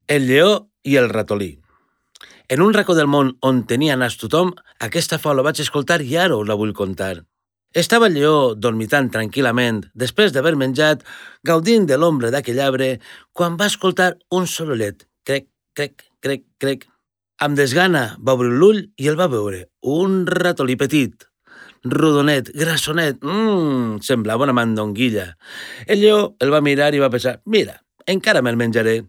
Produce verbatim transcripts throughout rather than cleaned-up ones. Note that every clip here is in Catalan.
El lleó i el ratolí. En un racó del món on tenia nas tothom, aquesta faula vaig escoltar i ara us la vull contar. Estava el lleó dormitant tranquil·lament, després d'haver menjat, gaudint de l'ombra d'aquell arbre, quan va escoltar un sorollet. Crec, crec, crec, crec. Amb desgana va obrir l'ull i el va veure. Un ratolí petit, rodonet, grassonet, mmm, semblava una mandonguilla. El lleó el va mirar i va pensar, mira, encara me'l menjaré.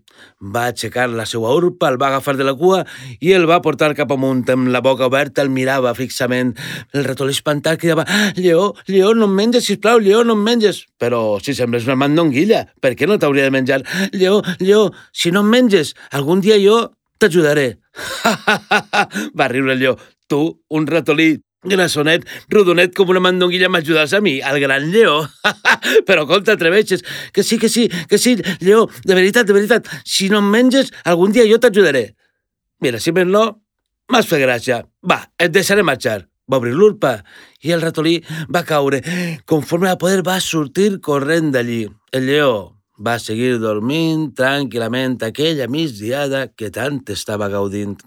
Va aixecar la seva urpa, el va agafar de la cua i el va portar cap amunt. Amb la boca oberta el mirava fixament. El ratolí espantat cridava, lleó, lleó, no em menges, sisplau, lleó, no em menges. Però si sembles una mandonguilla, per què no t'hauria de menjar? Lleó, lleó, si no em menges, algun dia jo t'ajudaré. Va riure el lleó. Tu, un ratolí grassonet, rodonet com una mandonguilla, m'ajudaràs a mi, al gran lleó? Però com t'atreveixes? Que sí, que sí, que sí, lleó, de veritat, de veritat, si no em menges, algun dia jo t'ajudaré. Mira, si més no, m'has fet gràcia. Va, et deixaré marxar. Va obrir l'urpa i el ratolí va caure. Conforme a poder va sortir corrent d'allí. El lleó va seguir dormint tranquil·lament aquella migdiada que tant estava gaudint.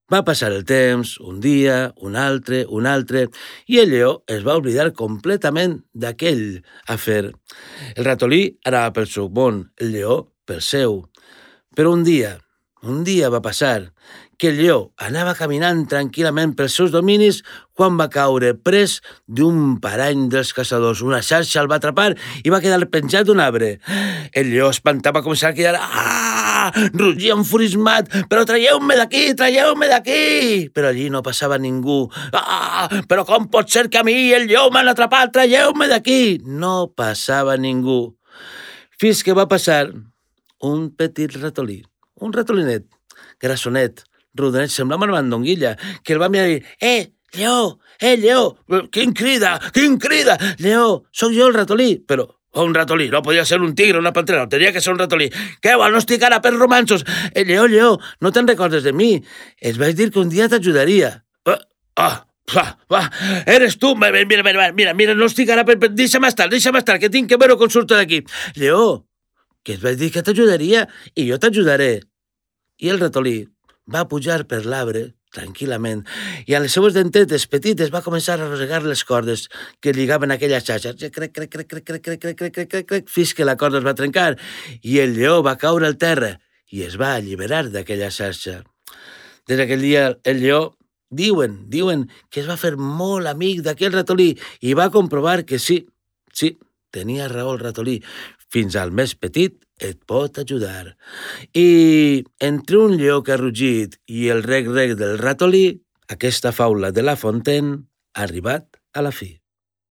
Va passar el temps, un dia, un altre, un altre, i el lleó es va oblidar completament d'aquell afer. El ratolí anava pel seu món, el lleó pel seu. Però un dia, un dia va passar que el lleó anava caminant tranquil·lament pels seus dominis quan va caure pres d'un parany dels caçadors. Una xarxa el va atrapar i va quedar penjat d'un arbre. El lleó espantat va començar a cridar, ah! Rugia enfurismat, però traieu-me d'aquí, traieu-me d'aquí! Però allí no passava ningú. Ah! Però com pot ser que a mi el lleó m'han atrapat? Traieu-me d'aquí! No passava ningú. Fins que va passar un petit ratolí, un ratolinet, grassonet, rodonet, semblava una mandonguilla, que el va mirar i dir, eh, lleó, eh, lleó, quin crida, quin crida, lleó, sóc jo el ratolí, però un ratolí, no podia ser un tigre, una pantera, no tenia que ser un ratolí. Què, vol, no estic ara per romanços? Eh, lleó, lleó, no te'n recordes de mi? Es vaig dir que un dia t'ajudaria. Ah, ah, ah, ah, eres tu, mira, mira, mira, mira, no estic ara per... Deixa'm estar, deixa'm estar, que tinc que veure com surto d'aquí. Lleó, que es vaig dir que t'ajudaria i jo t'ajudaré. I el ratolí va pujar per l'arbre tranquil·lament, i amb les seues dentetes petites va començar a rosegar les cordes que lligaven aquella xarxa. Crec, crec, crec, crec, crec, crec, crec, crec, crec, crec, crec, fins que la corda es va trencar i el lleó va caure al terra i es va alliberar d'aquella xarxa. Des d'aquell dia el lleó, diuen, diuen que es va fer molt amic d'aquell ratolí i va comprovar que sí, sí, tenia raó el ratolí. Fins al més petit et pot ajudar. I entre un lleó que ha rugit i el rec-rec del ratolí, aquesta faula de La Fontaine ha arribat a la fi.